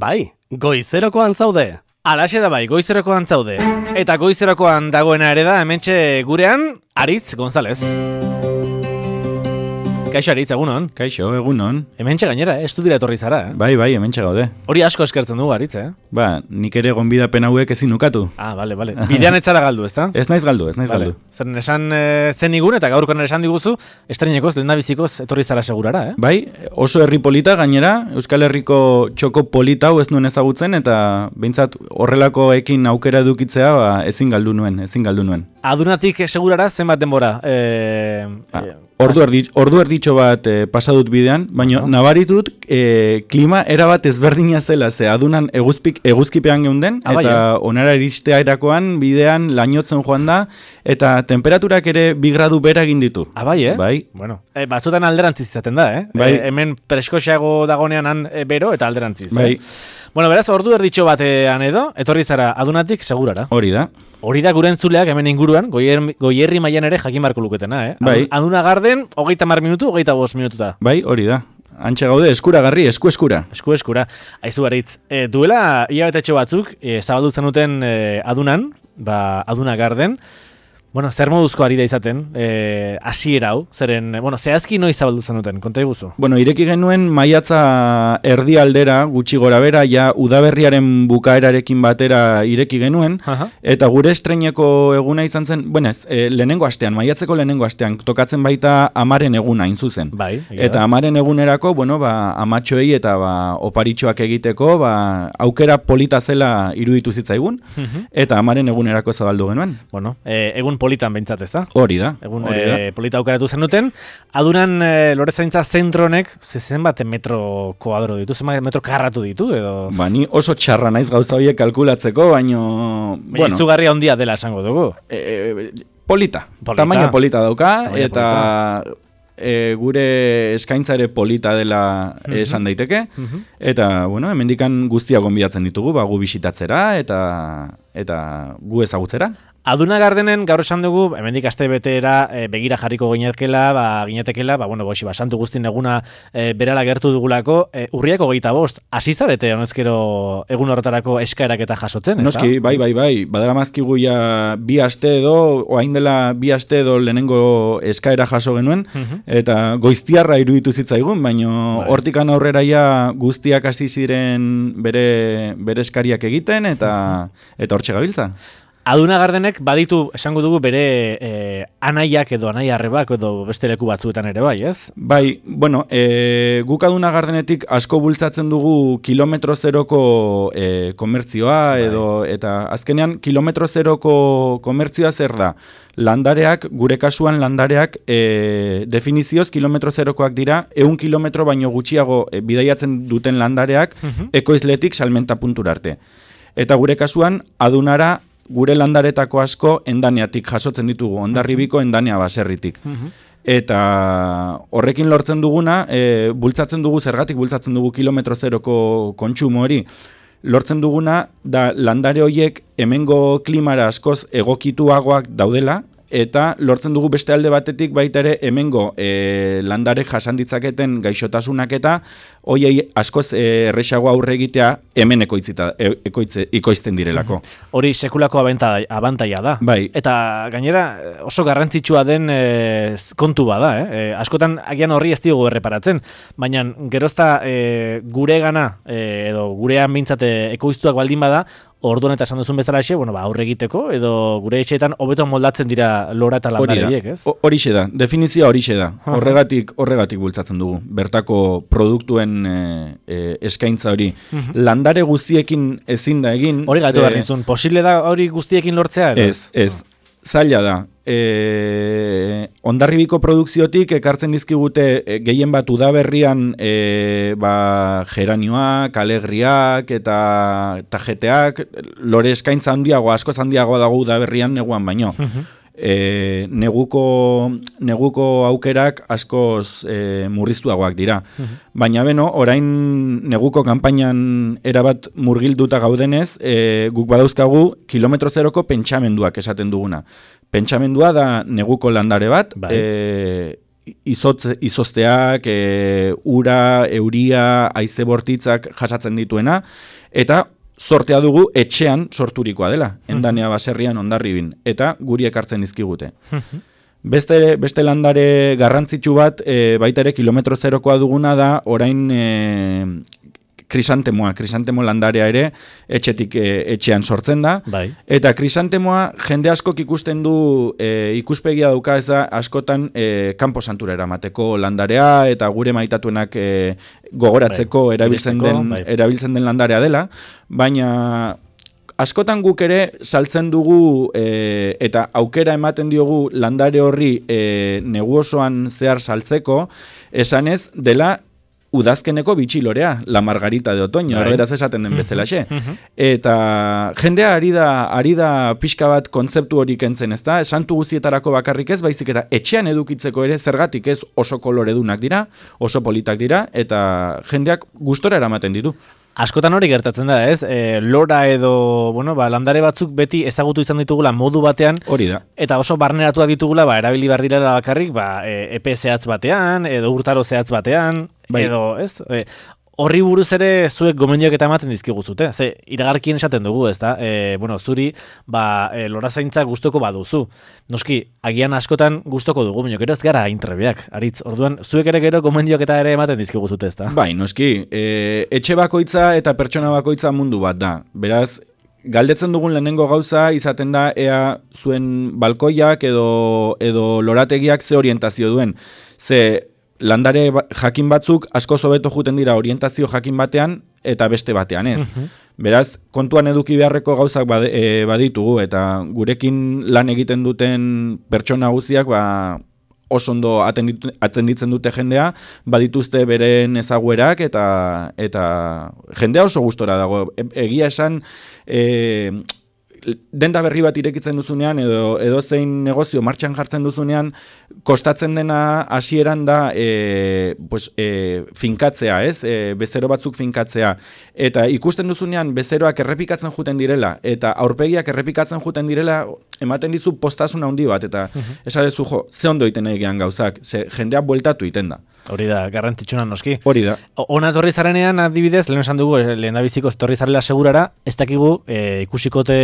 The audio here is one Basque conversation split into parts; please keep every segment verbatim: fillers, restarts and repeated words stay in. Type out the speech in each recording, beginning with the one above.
Bai, goizerokoan zaude. Alaxe da bai, goizerokoan zaude. Eta goizerokoan dagoena ere da, hementxe gurean, Aritz González. Kaixo Aritz, egunon. Kaixo, egunon. Hementxe gainera, eh? Estudira etorri zara, eh? Bai, bai, hementxe gaude. Hori asko eskertzen dugu, Aritz, eh? Ba, nik ere gonbidapen hauek ezin ukatu. Ah, bale, bale. Bidean ez zara galdu, ezta? Ez naiz galdu, ez naiz Vale. galdu. Zeren esan e, zen igun eta gaurkoan esan diguzu, estrenekoz, lehendabizikoz etorri zara segurara, eh? Bai, oso herri polita gainera, Euskal Herriko txoko polita hau ez nuen ezagutzen, eta behintzat horrelakoekin aukera edukitzea ba, ezin galdu nuen, ezin galdu nuen. Adunatik segurara zenbat denbora? E, Ah, Ordu erdi, ordu erditxo bat e, pasadut bidean, baina Aha. nabaritut e, klima erabat ezberdina zela, ze adunan eguzpik, eguzkipean geunden, Ah, bai, eta eh? onara iristea erakoan bidean lainotzen joan da, eta temperaturak ere bi gradu bera egin ditu. Ah, bai, eh? Bai. Bueno, e, batzutan alderantziz izaten da, eh? Bai. E, hemen preskoxeago dagonean han e, bero eta alderantziz, Bai. eh? Bueno, beraz, ordu erditxo batean edo, etorri zara adunatik segurara. Hori da. Hori da gure entzuleak hemen inguruan, goier, goierri mailan ere jakin barko luketena, eh? Bai. Aduna garden, hogeita mar minutu, hogeita bost minututa. Bai, hori da. Antxe gaude, eskuragarri, esku eskura. Esku eskura. Aizu Aritz, e, duela hilabetetxo batzuk, e, zabaldu zenuten e, adunan, ba, aduna garden, bueno, zer moduzko ari da izaten, e, hasiera hau, zeren, bueno, zehazki noiz zabaldu zenuten, konta iguzu. Bueno, ireki genuen maiatza erdi aldera, gutxi gora bera, ja udaberriaren bukaerarekin batera ireki genuen, Aha. eta gure estreineko eguna izan zen, bueno ez, e, lehenengo astean, maiatzeko lehenengo astean, tokatzen baita amaren eguna hain zuzen. Bai, egia Eta da. amaren egunerako, bueno, ba, amatxoei eta ba, oparitxoak egiteko, ba, aukera polita zela iruditu zitzaigun, Mhm. eta amaren egunerako zabaldu genuen. Bueno, e, egun politan behintzat, ez da? Hori da, Egun hori da. e, polita aukeratu zenuten, adunan e, lorezaintza zentronek, zezen bat metro koadro ditu, zenbat metro karratu ditu, edo... Ba, ni oso txarra naiz gauza horiek kalkulatzeko, baino... Baina izugarria handia dela esango dugu. E, polita, Polita. tamaina polita dauka, Tamaina eta e, gure eskaintza ere polita dela esan daiteke, Mhm. eta, bueno, hemendikan guztiak gonbidatzen ditugu, ba, gu bisitatzera, eta, eta gu ezagutzera. Aduna Gardenen gaur esan dugu, hemendik aste betera e, begira jarriko ginetekela, ba, ginetekela, ba, bueno, boxi, ba, santu guztin eguna e, berala gertu dugulako, e, urriako geita bost, hasi zarete honezkero egun horretarako eskaerak eta jasotzen, ez Noski, bai, bai, bai, badara mazkigu ja bi aste edo, oain dela bi aste edo lehenengo eskaera jaso genuen, Mhm. eta goiztiarra iruditu zitzaigun, baino Bai. hortikan aurrera ja guztiak hasi ziren bere, bere eskariak egiten, eta eta hortxe gabiltza. Aduna Gardenek baditu, esango dugu, bere e, anaiak edo anai arrebak edo beste leku batzuetan ere bai, ez? Bai, bueno, e, guk Aduna Gardenetik asko bultzatzen dugu kilometro zeroko e, komertzioa, edo, eta azkenean kilometro zeroko komertzioa zer da? Landareak, gure kasuan landareak e, definizioz kilometro zerokoak dira, ehun kilometro baino gutxiago e, bidaiatzen duten landareak ekoizletik salmenta puntura arte. Eta gure kasuan, Adunara gure landaretako asko endaneatik jasotzen ditugu, Hondarribiko endanea baserritik. Eta horrekin lortzen duguna, e, bultzatzen dugu, zergatik bultzatzen dugu kilometro zeroko kontsumo hori, lortzen duguna da landare horiek hemengo klimara askoz egokituagoak daudela, eta lortzen dugu beste alde batetik baita ere hemengo e, landarek jasan ditzaketen gaixotasunak eta hoiei askoz e, erresago aurre egitea hemen ekoitzita, e, ekoitze, ikoizten direlako. Hori sekulako abanta- abantaila da. Bai. Eta gainera oso garrantzitsua den e, kontu bada, eh? E, askotan agian horri ez diogu erreparatzen, baina gerozta e, gure gana e, edo gurean behintzate ekoiztuak baldin bada, orduan eta esan duzun bezalaxe, bueno, ba, aurre egiteko, edo gure etxeetan hobeto moldatzen dira lora eta landare horiek, ez? Ho- Horixe da, definizioa horixe da. Horregatik, horregatik bultzatzen dugu. Bertako produktuen e, e, eskaintza hori. Landare guztiekin ezin da egin. Hori gaitu ze- behar nizun, posible da hori guztiekin lortzea? Edo? Ez, ez. Zaila da. E, Hondarribiko produkziotik ekartzen dizkigute e, gehien bat udaberrian e, ba, geranioak, alegriak eta tajeteak, lore eskaintza handiago, askoz handiagoa dago udaberrian neguan baino. E, neguko, neguko aukerak askoz e, murriztuagoak dira. Baina beno, orain neguko kanpainan erabat murgilduta gaudenez, e, guk badauzkagu kilometro zeroko pentsamenduak esaten duguna. Pentsamendua da neguko landare bat, Bai. e, izotz, izozteak, e, ura, euria, haize bortitzak jasatzen dituena, eta zortea dugu etxean sorturikoa dela, endanea baserrian ondarribin, eta guri ekartzen dizkigute. Beste, beste landare garrantzitsu bat, e, baita ere kilometro zerokoa duguna da, orain e, krisantemoa, krisantemo landarea ere etxetik e, etxean sortzen da. Bai. Eta krisantemoa jende askok ikusten du, e, ikuspegia dauka ez da askotan e, kanpo santura eramateko landarea eta gure maitatuenak e, gogoratzeko bai. erabiltzen, den, bai. erabiltzen den landarea dela, baina askotan guk ere saltzen dugu e, eta aukera ematen diogu landare horri e, negu osoan zehar saltzeko, esanez dela udazkeneko bitxilorea, la margarita de otoño, erderaz esaten den bezalaxe. Eta jendea ari da, ari da pixka bat kontzeptu hori kentzen, ez da? Santu guztietarako bakarrik ez, baizik eta etxean edukitzeko ere zergatik ez oso koloredunak dira, oso politak dira, eta jendeak gustora eramaten ditu. Askotan hori gertatzen da, ez? E, lora edo, bueno, ba, landare batzuk beti ezagutu izan ditugula modu batean. Hori da. Eta oso barneratuak ditugula, ba, erabili behar direla bakarrik, ba, e, epe zehatz batean, edo urtaro zehatz batean, bai. Edo, ez? E, horri buruz ere zuek gomendioak eta ematen dizkiguzute. Ze, iragarkien esaten dugu, ez da? E, bueno, zuri, ba, e, lora zaintza gustoko baduzu. Noski, agian askotan gustoko dugu, baina gero ez gara intrebeak. Aritz, orduan, zuek ere gero gomendioak eta ere ematen dizkiguzute, ez da? Bai, noski, e, etxe bakoitza eta pertsona bakoitza mundu bat da. Beraz, galdetzen dugun lehenengo gauza izaten da ea zuen balkoiak edo, edo lorategiak ze orientazio duen. Ze, landare jakin batzuk asko hobeto juten dira orientazio jakin batean eta beste batean ez. Beraz, kontuan eduki beharreko gauzak baditugu eta gurekin lan egiten duten pertsona guztiak ba, oso ondo atenditzen dute jendea, badituzte beren ezaguerak eta, eta jendea oso gustora dago. Egia esan, e, denda berri bat irekitzen duzunean edo edo zein negozio martxan jartzen duzunean kostatzen dena hasieran da e, pues, e, finkatzea, ez? E, bezero batzuk finkatzea eta ikusten duzunean bezeroak errepikatzen juten direla eta aurpegiak errepikatzen juten direla ematen dizu postasun handi bat eta esadezu jo, ze ondo egiten egian gauzak, ze jendea bueltatu egiten da. Hori da, garrantzitsuna noski. Hori da. Ona etorri zarenean, adibidez, lehen esan dugu, lehen da biziko etorri zarela segurara, ez dakigu e, ikusikote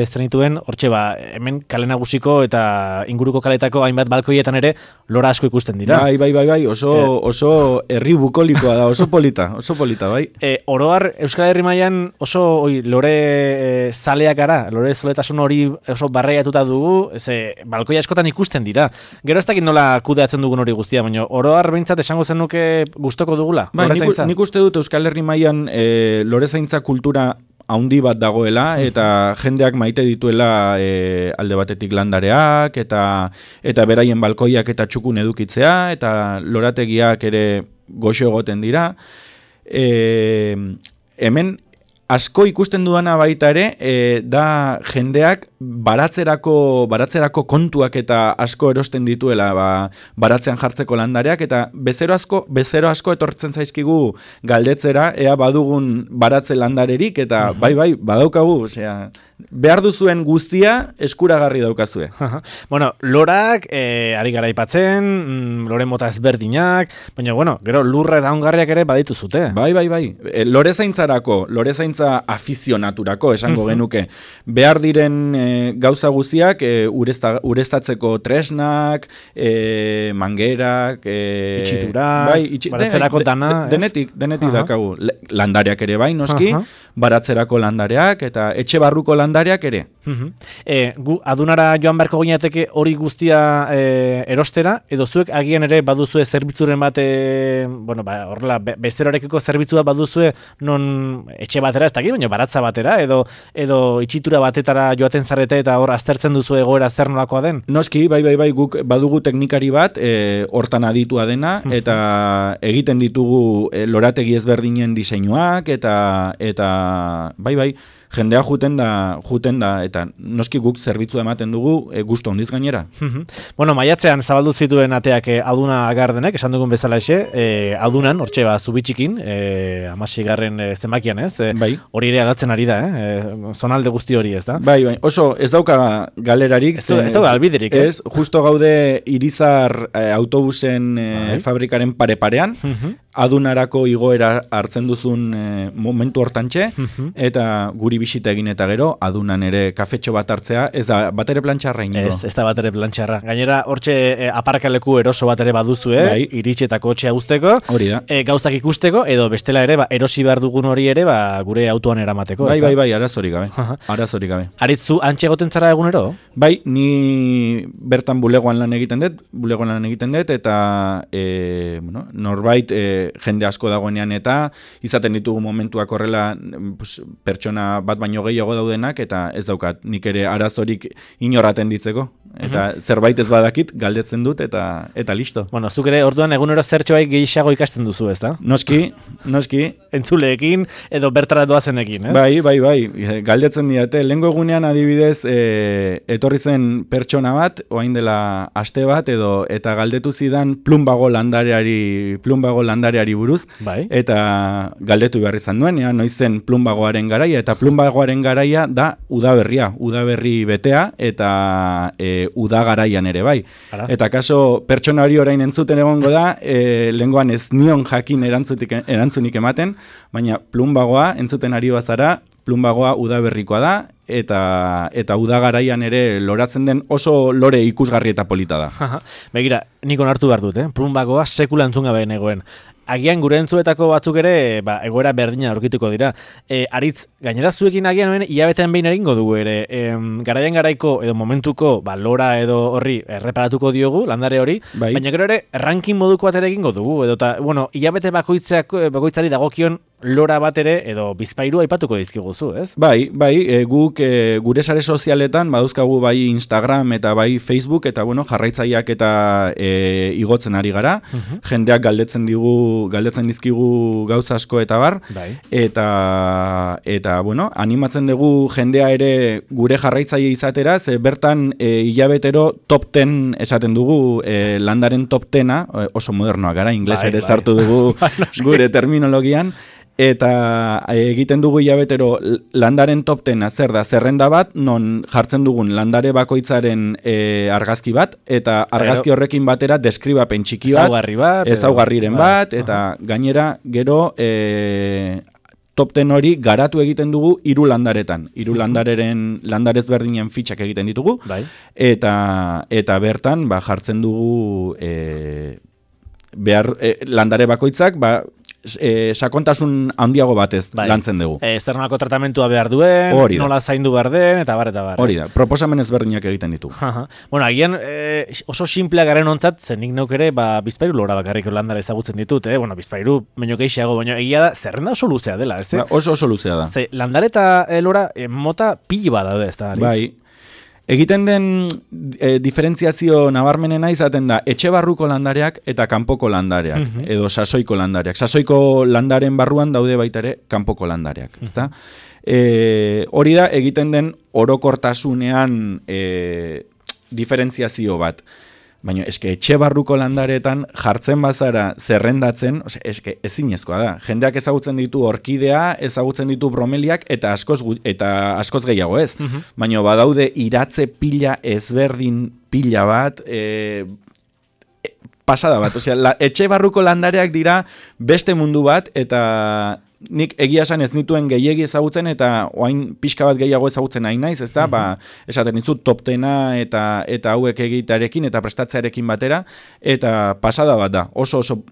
estrenituen, hortxe ba, hemen kale nagusiko eta inguruko kaletako hainbat balkoietan ere lora asko ikusten dira. Bai, bai, bai, bai, oso, e, oso herri bukolikoa da, oso polita, oso polita, bai. E, oroar, Euskal Herri mailan oso oi, lore e, zaleak gara, lore zoletasun hori oso barreiatuta dugu, ze balkoia askotan ikusten dira. Gero ez dakit nola kudeatzen dugun hori guztia, baina oroar behintzat esango zenuke gustoko dugula? Bai, nik, nik uste dut Euskal Herri mailan e, lorezaintza kultura haundi bat dagoela eta jendeak maite dituela e, alde batetik landareak eta eta beraien balkoiak eta txukun edukitzea eta lorategiak ere goxo egoten dira. E, hemen asko ikusten dudana baita ere, e, da jendeak baratzerako, baratzerako kontuak eta asko erosten dituela ba, baratzean jartzeko landareak, eta bezero asko, bezero asko etortzen zaizkigu galdetzera, ea badugun baratze landarerik, eta bai, bai, badaukagu, osea, behar duzuen guztia eskuragarri daukazue. Bueno, lorak, e, ari gara aipatzen, mm, lore mota ezberdinak, baina, bueno, gero lurra eta ongarriak ere baditu zute. Bai, bai, bai. E, lorezaintzarako, lorezaintza afizionaturako, esango genuke. Behar diren e, gauza guztiak, e, urezta, ureztatzeko tresnak, e, mangerak, e, itxiturak, bai, itxi, baratzerako de, dana. De, denetik, denetik uh-huh. dakagu. Landareak ere bai, noski, uh-huh. baratzerako landareak, eta etxe barruko landareak, landareak ere. Uh-huh. E, gu, adunara joan beharko ginateke hori guztia e, erostera, edo zuek agian ere baduzue zerbitzuren bat, e, bueno, ba, horrela, be, bezerorekiko zerbitzua baduzue non etxe batera, ez dakit, baina baratza batera, edo, edo itxitura batetara joaten zarete eta hor aztertzen duzu egoera zer nolakoa den? Noski, bai, bai, bai, guk badugu teknikari bat, e, hortan aditua dena, uh-huh. eta egiten ditugu e, lorategi ezberdinen diseinuak, eta, eta bai, bai, jendea juten da, juten da, eta noski guk zerbitzu ematen dugu e, gustu handiz gainera. Bueno, maiatzean zabaldu zituen ateak e, aduna gardenek, esan dugun bezala exe, e, adunan, hortxe ba, zubitxikin, e, amasigarren e, zenbakian ez, e, bai. Hori ere adatzen ari da, eh? E, zonalde guzti hori ez da? Bai, bai, oso kaso, ez dauka galerarik. Ez, ez dauka albiderik, eh? Ez, justo gaude Irizar eh, autobusen eh, fabrikaren pare-parean, uh-huh. adunarako igoera hartzen duzun eh, momentu hortantxe, uh-huh. eta guri bisita egin eta gero, adunan ere kafetxo bat hartzea, ez da batere plantxarra inigo. Ez, ez da batere plantxarra. Gainera, hortxe eh, aparkaleku eroso bat ere baduzu, eh? Bai. Iritxetako kotxea guzteko, hori da. E, gauzak ikusteko, edo bestela ere, ba, erosi behar dugun hori ere, ba, gure autoan eramateko. Bai, bai, bai, arazorik gabe. Arazorik gabe. Aritzu, antxe egoten zara egunero? Bai, ni bertan bulegoan lan egiten dut, bulegoan lan egiten dut, eta e, bueno, norbait e, jende asko dagoenean eta izaten ditugu momentuak horrela pues, pertsona bat baino gehiago daudenak, eta ez daukat nik ere arazorik inorraten ditzeko. Eta uh-huh. zerbait ez badakit, galdetzen dut, eta eta listo. Bueno, zuk ere, orduan egunero zertxoai gehiago ikasten duzu, ez da? Noski, noski. Entzuleekin, edo bertara doazenekin, ez? Bai, bai, bai, galdetzen diate. Lehengo egunean adibidez, e, etorri zen pertsona bat, oain dela aste bat, edo eta galdetu zidan plumbago landareari, plumbago landareari buruz, bai. Eta galdetu behar izan duen, ea, noizen plumbagoaren garaia, eta plumbagoaren garaia da udaberria, udaberri betea, eta e, uda garaian ere, bai. Ara. Eta kaso, pertsona hori orain entzuten egongo da, e, lehengoan ez nion jakin erantzunik ematen, baina plumbagoa entzuten ari bazara, plumbagoa udaberrikoa da, eta eta uda garaian ere loratzen den oso lore ikusgarri eta polita da. Begira, nik onartu behar dut, eh? Plumbagoa sekula entzun gabe negoen. Agian gure entzuetako batzuk ere, ba, egoera berdina aurkituko dira. E, Aritz, gainera zuekin agian hemen hilabetean behin egingo dugu ere. E, garaian garaiko edo momentuko ba, lora edo horri erreparatuko diogu, landare hori, bai. Baina gero ere ranking moduko bat ere egingo dugu. Edo ta, bueno, hilabete bakoitzari dagokion lora bat ere edo bizpairu aipatuko dizkiguzu, ez? Bai, bai, e, guk e, gure sare sozialetan badauzkagu bai Instagram eta bai Facebook, eta bueno, jarraitzaileak eta e, igotzen ari gara. Uh-huh. Jendeak galdetzen digu galdetzen dizkigu gauza asko eta bar, bai. eta eta bueno, animatzen dugu jendea ere gure jarraitzaile izatera, ze bertan e, hilabetero top ten esaten dugu, e, landaren top tena, oso modernoa gara, inglesa ere bai. Sartu dugu gure terminologian. Eta egiten dugu hilabetero landaren top tena zer da, zerrenda bat, non jartzen dugun landare bakoitzaren e, argazki bat, eta argazki horrekin batera deskribapen txiki bat, ezaugarri bat, ezaugarriren bat, eta uh-huh. gainera gero e, top ten hori garatu egiten dugu hiru landaretan. Hiru landareren landarez berdinen fitxak egiten ditugu, bai. eta eta bertan ba, jartzen dugu e, behar, e, landare bakoitzak, ba, E, sakontasun handiago batez bai. Lantzen dugu. E, zer nolako tratamentua behar duen, nola zaindu behar den, eta bar, eta bar. Hori da, proposamen ezberdinak egiten ditu. Bueno, agian e, oso simplea garen ontzat, zen nik neuk ere, ba, bizpairu lora bakarrik landara ezagutzen ditut, eh? Bueno, bizpairu menio geixiago, baina egia da, zerrenda oso luzea dela, ez? Ba, oso oso luzea da. Ze, landare eta e, lora e, mota pili bat daude, ez da? Bai. Egiten den e, diferentziazio nabarmenena izaten da etxe barruko landareak eta kanpoko landareak, uh-huh. edo sasoiko landareak. Sasoiko landaren barruan daude baita ere kanpoko landareak, uh-huh. ezta? E, hori da egiten den orokortasunean e, diferentziazio bat. Baina eske etxe barruko landaretan jartzen bazara zerrendatzen, ose, eske ezinezkoa da. Jendeak ezagutzen ditu orkidea, ezagutzen ditu bromeliak eta askoz eta askoz gehiago ez. Uh-huh. Baina badaude iratze pila ezberdin pila bat, e, e, pasada bat. Osea, la, etxe barruko landareak dira beste mundu bat, eta nik egia esan ez nituen gehiegi ezagutzen, eta oain pixka bat gehiago ezagutzen nahi naiz, ezta? Uh-huh. Ba, esaten dizut top tena eta eta hauek egitearekin eta prestatzearekin batera, eta pasada bat da. Oso oso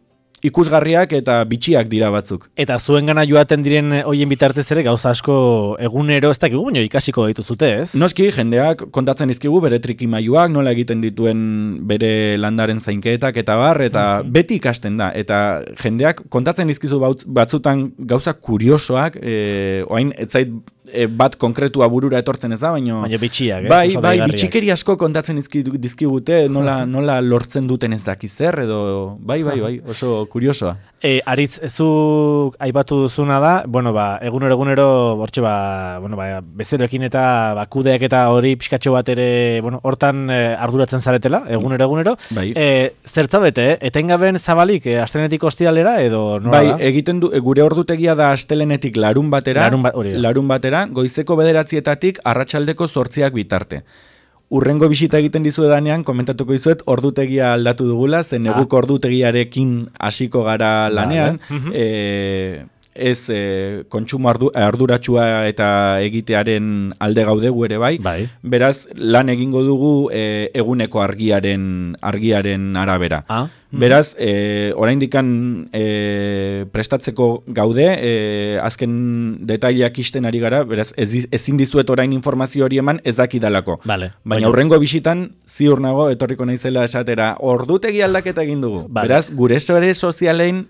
ikusgarriak eta bitxiak dira batzuk. Eta zuengana joaten diren hoien bitartez ere gauza asko egunero ez dakigu, baina ikasiko dituzute, ez? Noski, jendeak kontatzen dizkigu bere trikimailuak, nola egiten dituen bere landaren zainketak eta bar, eta uh-huh. beti ikasten da. Eta jendeak kontatzen dizkizu batzutan gauza kuriosoak, e, oain etzait e, bat konkretua burura etortzen ez da, baina... Baina bitxiak, ez? Bai, bai, bitxikeri asko kontatzen dizkigute, nola, nola lortzen duten ez dakizer, edo... Bai, bai, bai, oso kuriosoa. E, Aritz, zuk aipatu duzuna da, bueno, ba, egunero egunero, bortxe, ba, bueno, ba, bezeroekin eta ba, kudeak eta hori pixkatxo bat ere, bueno, hortan e, arduratzen zaretela, egunero egunero. Bai. E, zertzabete, eh? Etengaben zabalik, e, astelenetik ostiralera, edo nola bai, da? Egiten du, gure ordutegia da astelenetik larun batera, larun, ba, larun batera, da, goizeko bederatzietatik arratsaldeko zortziak bitarte. Urrengo bisita egiten dizuedanean, komentatuko dizuet, ordutegia aldatu dugula, zen neguk ah. ordutegiarekin hasiko gara lanean, vale. e, ez e, kontsumo ardu, arduratsua eta egitearen alde gaude gu ere bai. bai. Beraz, lan egingo dugu e, eguneko argiaren argiaren arabera. Ah. Beraz, e, oraindikan e, prestatzeko gaude, e, azken detaileak isten ari gara, beraz, ez, ezin dizuet orain informazio hori eman ez dakidalako. Vale. Baina hurrengo bisitan, ziur nago, etorriko naizela esatera, ordutegi aldaketa egin dugu. Vale. Beraz, gure sare sozialein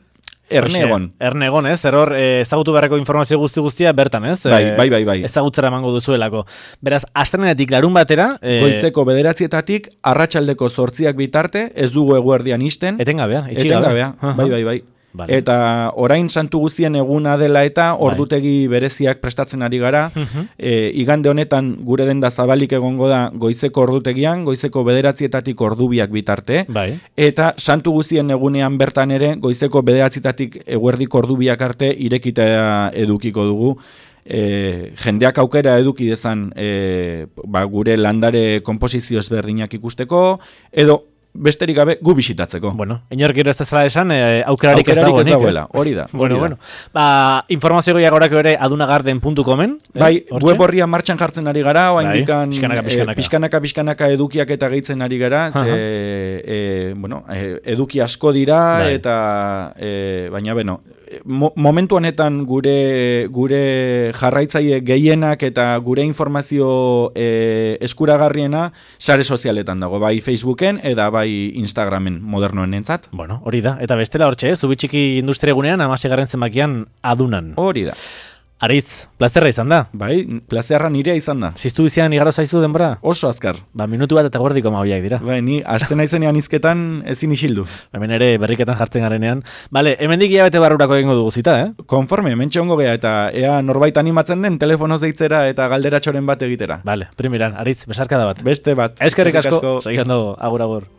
erne egon. Erne egon, ez? Error, ezagutu beharreko informazio guzti guztia bertan, ez? Bai, bai, bai, bai. Ezagutzera emango duzuelako. Beraz, astelehenetik larun batera... E... Goizeko bederatzietatik, arratsaldeko zortziak bitarte, ez dugu eguerdian isten. Etengabea, etengabea, bai, bai, bai. Vale. Eta orain santu guztien eguna dela eta ordutegi bereziak prestatzen ari gara. Uh-huh. e, igande honetan gure denda zabalik egongo da goizeko ordutegian, goizeko bederatzietatik ordubiak bitarte. Bai. Eta santu guztien egunean bertan ere goizeko bederatzietatik eguerdiko ordubiak arte irekita edukiko dugu. E, jendeak aukera eduki dezan e, ba, gure landare konposizio ezberdinak ikusteko, edo besterik gabe gu bisitatzeko. Bueno, inork gero ez dezala esan, e, aukerarik, aukerarik ez dago. Ez dagoela, hori da. Bueno, hori bueno. Ba, informazio goiak horako ere adunagarden puntu comen. Bai, eh, web horria martxan jartzen ari gara, oa bai, indikan pixkanaka, pixkanaka. E, pixkanaka, pixkanaka edukiak eta gehitzen ari gara, ze, e, bueno, e, eduki asko dira, bai. eta, e, baina, beno, mo, momentu honetan gure, gure jarraitzaile gehienak eta gure informazio e, eskuragarriena sare sozialetan dago, bai Facebooken, eta bai Instagramen modernoen entzat. Bueno, hori da. Eta bestela hortxe, eh? Zubitxiki industria egunean, amasegarren zenbakian adunan. Hori da. Aritz, plazerra izan da. Bai, plazerra nirea izan da. Ziztu bizian igaro zaizu denbora? Oso azkar. Ba, minutu bat eta guardiko mabiak dira. Bai, ni aste naizenean izketan ezin isildu. Hemen ere berriketan jartzen garenean. Bale, hemendik hilabete barrurako egingo dugu zita, eh? Konforme, mentxe ongo gea eta ea norbait animatzen den telefonoz deitzera eta galderatxoren bat egitera. Bale, primeran, Aritz, besarkada bat. Beste bat. Eskerrik asko. Segiando, agur, agur.